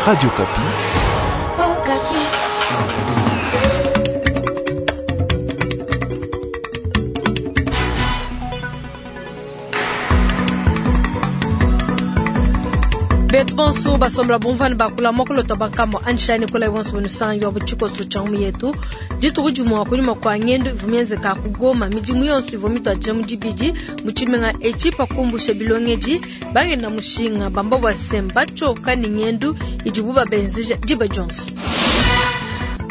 Radio Okapi. Betu bonso basombola bumvua ne bakula muakulu bankambua anjishani kola bonso bunusangi wa butshikoso tshia ngumu yetu. Dituku dimue kunyima kua ngendu ivua mienzeka ku Goma, midimu yonso ivua mituadija mu dibidi mu tshimenga etshi pa kumbusha bilongedi bangenda mushinga bamba bua se mbatshioka ne ngendu idibu babenzeja diba dionso.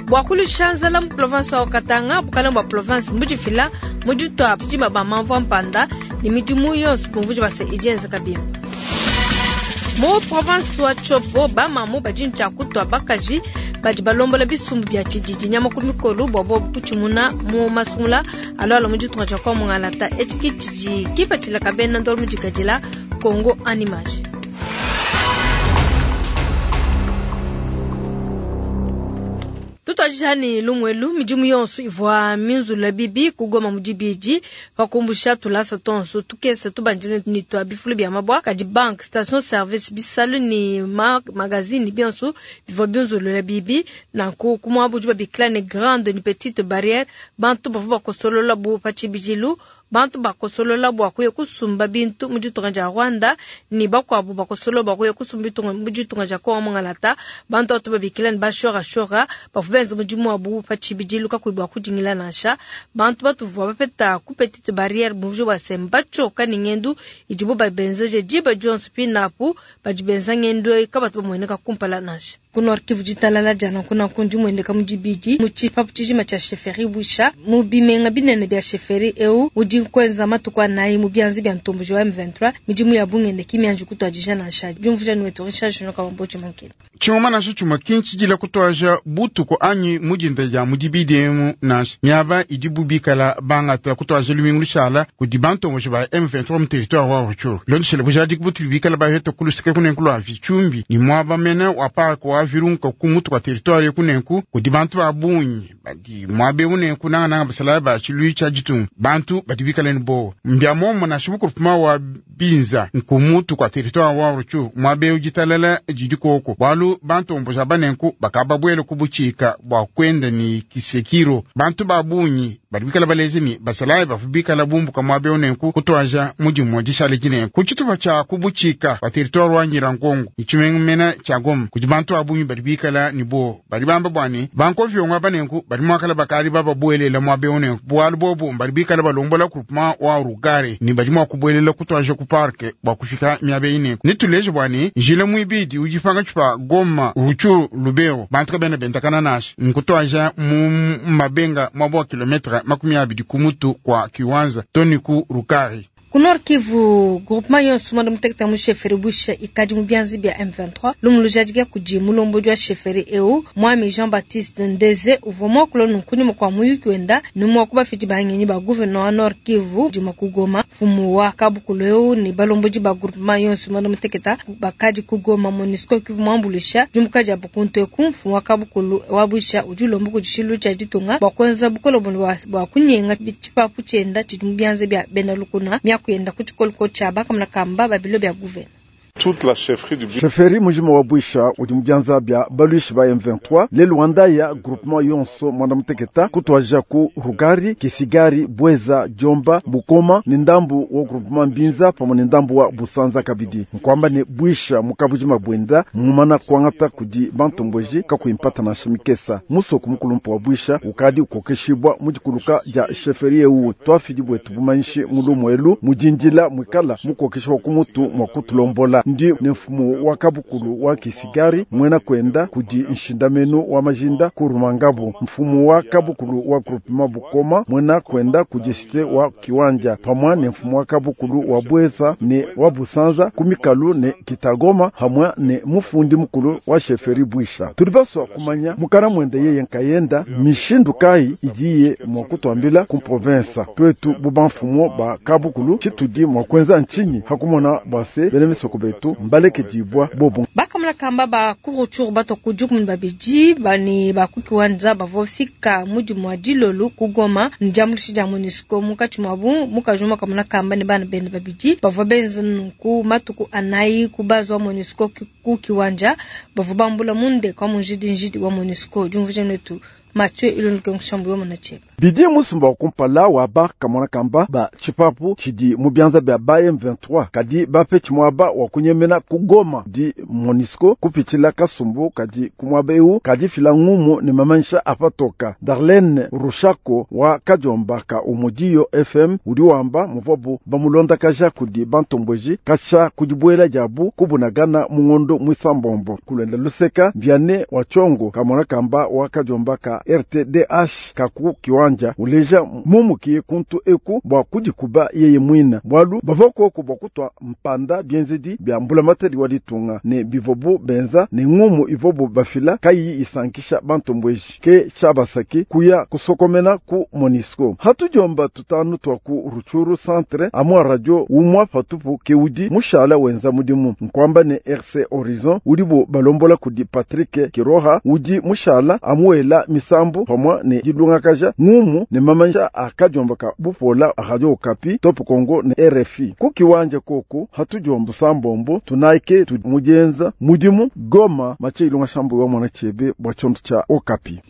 Bua kuluisha nzala mu province wa Katanga, bukalenge bua province mbudifila mu ditua tshidima ba mamvua mpanda ne midimu yonso bumvuija bua se idi yenzeka bimpe. Mu province wa Tshopo, bamamu badi ne tshia kutua bakaji badi balombola bisumbu bia tshididi nyama ku mikolo bua bobu kutshimuna mu masungula alualua mu ditunga dia Kongo Mungalata. Etshi ke tshidi kipatshila ka bena ndolo mudikadila Congo en image. Tutuadija ne lumuelu, midimu yonso ivua minzula bibi ku Goma mu dibidi pa kumbusha tulasa tuonso tukese tubandile ne tua bifulu bia mabua, kadi banque, station service, bisalu ne ma magazine bionso bivua binzulula bibi. Nanku ku muaba udi babikila ne grande ne petite barrière, bantu bavua bakosolola bu pa tshibidilu. Bantu bakosolola bua kuya kusumba bintu mu ditunga dia Rwanda ne bakuabu bakosolola bua kuya kusumba bintu mu ditunga dia Kongo Mungalata. Bantu batu babikila ne bashorashora bavua benza mudimu wabu pa tshibidilu kakuyi bua kudingila nansha. Bantu batuvua bapeta ku petite barrière bumvuija bua se mbatshioka ne ngendu idibu babenzeje diba dionso pinapu badi benza ngendu eyi kabatu bamueneka kumpala nansha. Ku Nord Kivu ditalala dia nanku nanku ndimueneka mu dibidi mu tshipapu tshijima tshia chefferie Bwisha mu bimenga binene bia chefferie eu udi kuenza matuku anayi mu bianza bia ntomboji wa M23. Midimu ya bungende ki mianji kutuadija nansha. Diumvuija ni wetu Richard Junior Kabambochi Mankele. Tshingoma nansha tshimue ki ntshidila kutuaja butuku anyi mu dinda dia mu dibidi emu nansha. Miaba idibu bikala bangata kutuaja lumingu lushala kudi bantomboji ba M23 mu territoire wa Rutshuru. Bilondeshele bujadiki butudi bikala baheta ku luseke kunenku lua Vitshumbi ni muaba mene wa parc wa Virunga ku mutu kua territoire kunenku kudi bantu ba bungi badi muaba eu nenku nangananga basalayi ba tshiluilu tshia ditunga. Bantu badi bikala ne bowa mbia muomumue nansha mu groupement wa Binza nku mutu kua territoire wa Rutshuru muaba eu ditalala didi koko bualu bantomboji aba nenku bakababuela ku butshika bua kuenda ne kisekiro. Bantu ba bungi badi bikala baleja ne basalayi bavua bikala bumbuka muaba eu nenku kutuaja mudimu dishale dinenku ku tshitupa tshia ku butshika kua territoire wa Nyiragongo ne tshimenga mene tshia Goma kudi bantu ba bungi badi bikala ne bowa badi bamba bua ne bankoviongo aba nenku badi muakala bakadi bababuelela muaba eu nenku bualu bobu badi bikala balombola groupement wa Rugari ne badi mua kubuelela kutuaja ku parc bua kufika miaba eyi nenku. Netuleje bua ne njila muibidi udi pankatshi pa Goma, Rutshuru, Lubero bantu kabena bendakana nansha nkutuaja mu mabenga muaba wa kilometre 20 ku mutu kua Kiwanza to ne ku Rukari. Ku Nord Kivu, groupement yonso muanda mutekete mu chefferie Bwisha ikadi mu bianza bia M23. Lumu lujadika kudi mulombodi wa chefferie eu Mwami Jean-Baptiste Ndeze uvua muakula nunku kunyima kua muyuki wenda ne mua ku bafidi ba ngenyi ba gouverneur wa Nord Kivu dimue ku Goma. Mfumu wa kabukulu eu ne balombodi ba groupement yonso muanda mutekete bakadi ku Goma. MONUSCO Kivu muambuluisha diumbuka diabu kuntu eku. Mfumu wa kabukulu wa Bwisha udi ulomba kudi tshiluilu tshia ditunga bua kuenza bukole bua kunyenga tshipapu tshienda tshidi mu bianza bia bena lukuna. Miaku yenda ku tshikoloko tshia bakamuna kamba ba bilo bia gouverneur. Toute la chefferie du Bwisha. Chefferie mujima wa Bwisha udi mu bianza bia baluishi ba M23 lelu wandaya groupement yonso mwanda muteketa kutuaja ku Rugari, Kisigari, Bweza, Jomba, Bukoma ni ndambu wa groupement Mbinza pamwe ni ndambu wa Busanza kabidi. Nkwamba ne Bwisha mukabujima bwenda mumana kuangata kudi bantomboji kakuimpata na shimikesa. Musoko mukulumpu wa Bwisha ukadi ukokeshibwa mudikuluka dia chefferie eu twafidi bwetu bumanyishi mulumu mudindila mwikala mukokeshibwa kumutu mwa kutulombola. Ndi ne mfumu wa kabukulu wa Kisigari mwena kwenda kudi nshindamenu wa majinda kurumangabu. Mfumu wa kabukulu wa groupement Bukoma mwena kwenda kudi cité wa Kiwanja pamwa ne mfumu wa kabukulu wa Bweza ne wa Busanza kumikalu ne Kitagoma hamwe ne mufundi mukulu wa chefferie Bwisha. Tulibaswa kumanya mukana mwende yeye nkayenda mishindu kai idiye mwa kutwambila ku province twetu buba mfumu ba kabukulu chitudi mwa kwenza nchinyi hakumona bwase bene misoko betu. basatu mbalekedibwa bobo. Bakamala kamba ba ku Rutshuru batua ku 12 bani ba ku Kiwanja bavua bafika mu dimua dilolu ku Goma ne diambuluisha dia MONUSCO munkatshi muabu mukaji umue kamona kamba ne bana bende babidi bavua benza nunku matuku anayi ku base wa MONUSCO ku Kiwanja bavua bambula mu ndeke wa munjidinjidi wa MONUSCO. Diumvuija netu Mathieu Ilunduke Nkushambu wa Munacheba. Bidi musumba wa kumpala wa ba kamona kamba ba tshipapu tshidi mu bianza bia ba M23 kadi bapetshi muaba wa kunyemena ku Goma di MONUSCO kupitshila kasumbu kadi ku muaba eu kadi fila ngumu ne mamanyisha apatoka. Darlene Rushako wa Kajomba ka Umudiyo FM udi wamba muvuabu bamulondakaja kudi bantombweji kasha kudibuela diabu kubunagana mu ngondo mwisambombo kulenda luseka Vianney wa Chongo kamona kamba wa Kajomba ka RTDH kaku kiwanja uleja mumukiye kuntu eku bwa kudikuba yeye mwina bwalu bava koko bwa kutwa mpanda bienzedi bya mbulamatari wa ditunga ne bivobu benza ne ngumu ivobu bafila kayi isankisha bantombweji ke chabasaki kuya kusokomena ku MONUSCO. Hatujomba tutanu twa ku Rutshuru centre amwa radio umwa patupu keudi mushala wenza mudimu nkwamba ne RC Horizon udibo balombola kudi Patrick Kiroha udi mushala amuela misambu pamwa ne dilungakaja ngumu ne mamanja akajomba ka bupola Radio Okapi Top Congo ne RFI kukiwanja koko hatujomba sambombo tunaike tumujenza mudimu Goma mache ilunga shambu wa mwana chebe bwa chondo cha Okapi.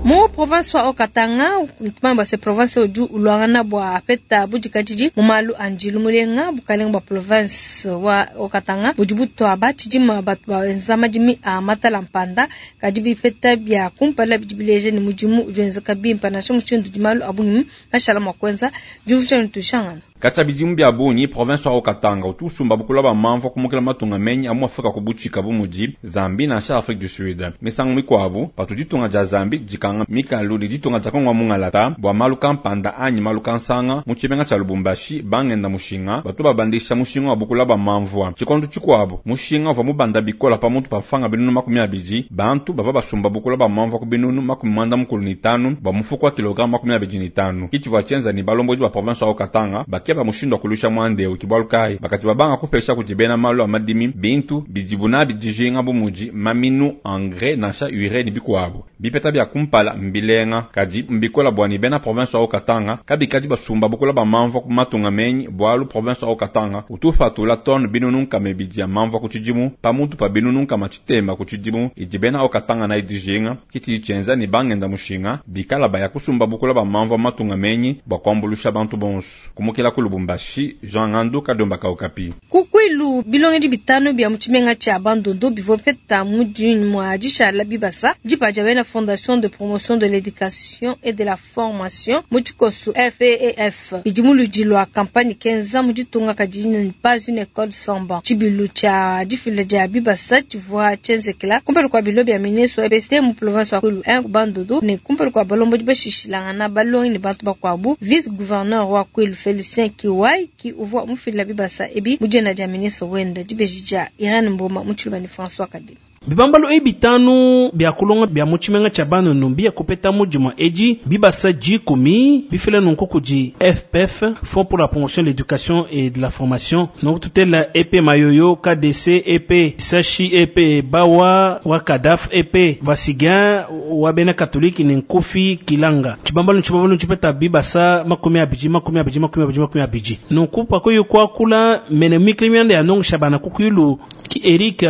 Mu province wa Haut-Katanga, tumamba se province uju ulwangana bwa apeta budikadidi mu malu a njilu mulenga bukalenga bwa province wa Haut-Katanga budi butwa batshidima batu baenza madimi a matala mpanda kadi bipeta bia kumpala bidi bileja ne mudimu udi wenzeka bimpe nansha mushindu udi malu a bungi mashala mua kuenza diumvuija ne tushangana. Katshia bidimu bia bungi province wa Haut-Katanga utu usumba bukula ba mamvua kumukila matunga menyi a mu Afrika ku butshika bu mudi Zambie nansha Afrique du Sud. Misangu mikuabu patu ditunga dia Zambie dikanga mikalu ne ditunga dia Kongo mungalata bua malu kampanda anyi malu kansanga mu tshimenga tshia Lubumbashi bangenda mushinga batu babandisha mushinga wa bukula ba mamvua. Tshikondo tshikuabu mushinga uvua mubanda bikola pamutu pa mfranga binunu 20 bantu bavua basumba bukula ba mamvua ku binunu 95 bua mufuko wa kilogramme 25. Kitshivua tshienza ne balombodi ba province wa Haut-Katanga bakeba mushindu wa kulusha mwande ukibwalu kai bakati babanga kupesha kudi bena malu a madimi bintu bidibu nabi dijinga bu mudi maminu engrais nansha urée ne bikuabu. Bipeta bia kumpala mbilenga kadi mbikola bua ne bena province wa Haut-Katanga kabikadi basumba bukula ba mamvua ku matunga menyi bualu province wa Haut-Katanga utu upatula tonne binunu nkama ibidi ya mamvua ku tshidimu pamutu pa binunu nkama tshitema ku tshidimu idi bena Haut-Katanga na dijinga kitshidi tshienza ne bangenda mushinga bikala baya kusumba bukula ba mamvua matunga menyi bua kuambulusha bantu bonso. Kumukila ku Lubumbashi, Jean Ngandu Kadomba ka Okapi. Kukwilu bilongedi bitano bia mu tshimenga tshia Bandundu bivua bipeta mu mua dishala bibasa dipa dia bena Fondation de promotion de l'éducation et de la formation mu tshikoso FEF bidi mu ludi lua campagne kenza mu ditunga kadi ne pas une école sans banc. Tshibilu tshia difila dia bibasa tshivua tshienzekela kumpala kua bilo bia ministre wa EPST mu province wa Kwilu 1 Bandundu ne kumpala kua balombodi bashishilangana balongi ne bantu bakuabu. Vice gouverneur wa Kwilu Félicien Kiwai ki uvua mufila bibasa ebi mu dina dia ministre wenda dibeji dia Irène Mboma mu tshiluba ne François Kadima. Bibambalu ebi bitanu bia kulonga bia mu tshimenga tshia Bandundu bia kupeta mu dimua edi bibasa dikumi bifila nunku kudi FPF Fonds pour la promotion de l'éducation et de la formation donc tutela EP Mayoyo KDC EP Sashi EP Bawa wa Kadaf EP Vasigan wa bena catholique ne Nkofi Kilanga. Tshibambalu tshibambalu tshipeta bibasa 20 20 20 20 nunku pakoyo kwakula mene mikli ya nongo shabana kukwilu ki Eric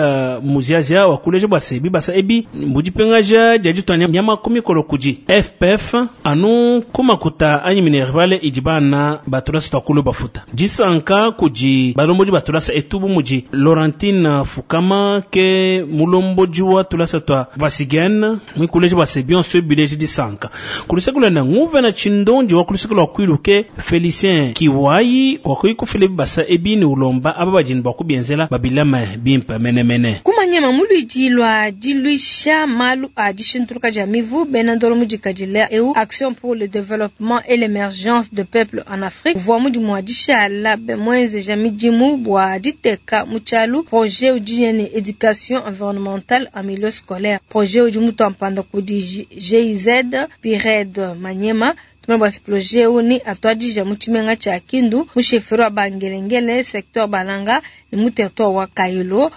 Muziazia wa kuleja bwa sebi basa ebi mbudipengaja dia ditwanya nyama kumikolo kudi FPF anu kumakuta anyi minervale idi bana batulasa twakulu bafuta disanka kudi balombodi batulasa etubu mudi Laurentine Fukama ke mulomboji wa tulasa twa Vasigen mwikuleja bwa sebi onso bileje disanka kulisekula nguve na chindondi wa kulisekula kwilu ke Felicien Kiwai wa kuikufile basa ebi ni ulomba aba bajini bwa kubienzela babilama bimpe menemene kumanyema mului Lubidi lua diluisha malu a dishintuluka dia mivu, bena ndolo mudikadile eu Action pour le développement et l'émergence de peuple en Afrique uvua mudimu wa dishala muenzeja midimu bua diteka mu tshialu projet udi ne éducation environnementale en milieu scolaire. Projet udi mutua mpanda kudi GIZ Pired Manyema. Tumene bua projet eu ni atuadija mu tshimenga tshia Kindu mu chefferie wa Bangelengele secteur Balanga ne mu territoire wa Kailo.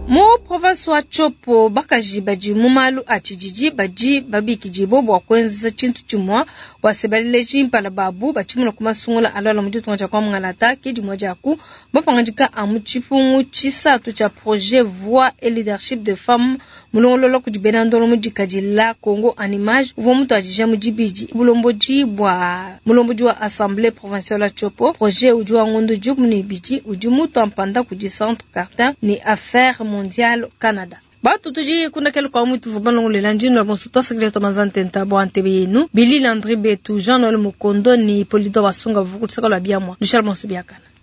Mu province wa Tshopo bakaji badi mu malu a tshididi badi babikidibua bua kuenza tshintu tshimue bua se baleleji mpala babu batshimuna ku masungula alala mu ditunga dia kwa Mungalata ke dimue dia ku mapangadika a mu tshipungu tshisatu tshia projet voix et leadership de femmes mulongolola kudi bena ndolo mudikadila Congo en image uvua mutuadija mu dibidi bulombodi bua mulombodi wa assemblée provinciale ya Tshopo. Projet udi wa ngondo 12 udi mutua mpanda kudi centre Cartin ne affaires mondiale Canada. Batu tudi kundakela kwa mutu vubalongolela ndino bonso twasakile tomanza ntenta bua ntebe yenu Billy Landry Betu Jean Noël Mukondo ni Polito Basunga vukutisaka lwa biamwa Michel Bonso biakana.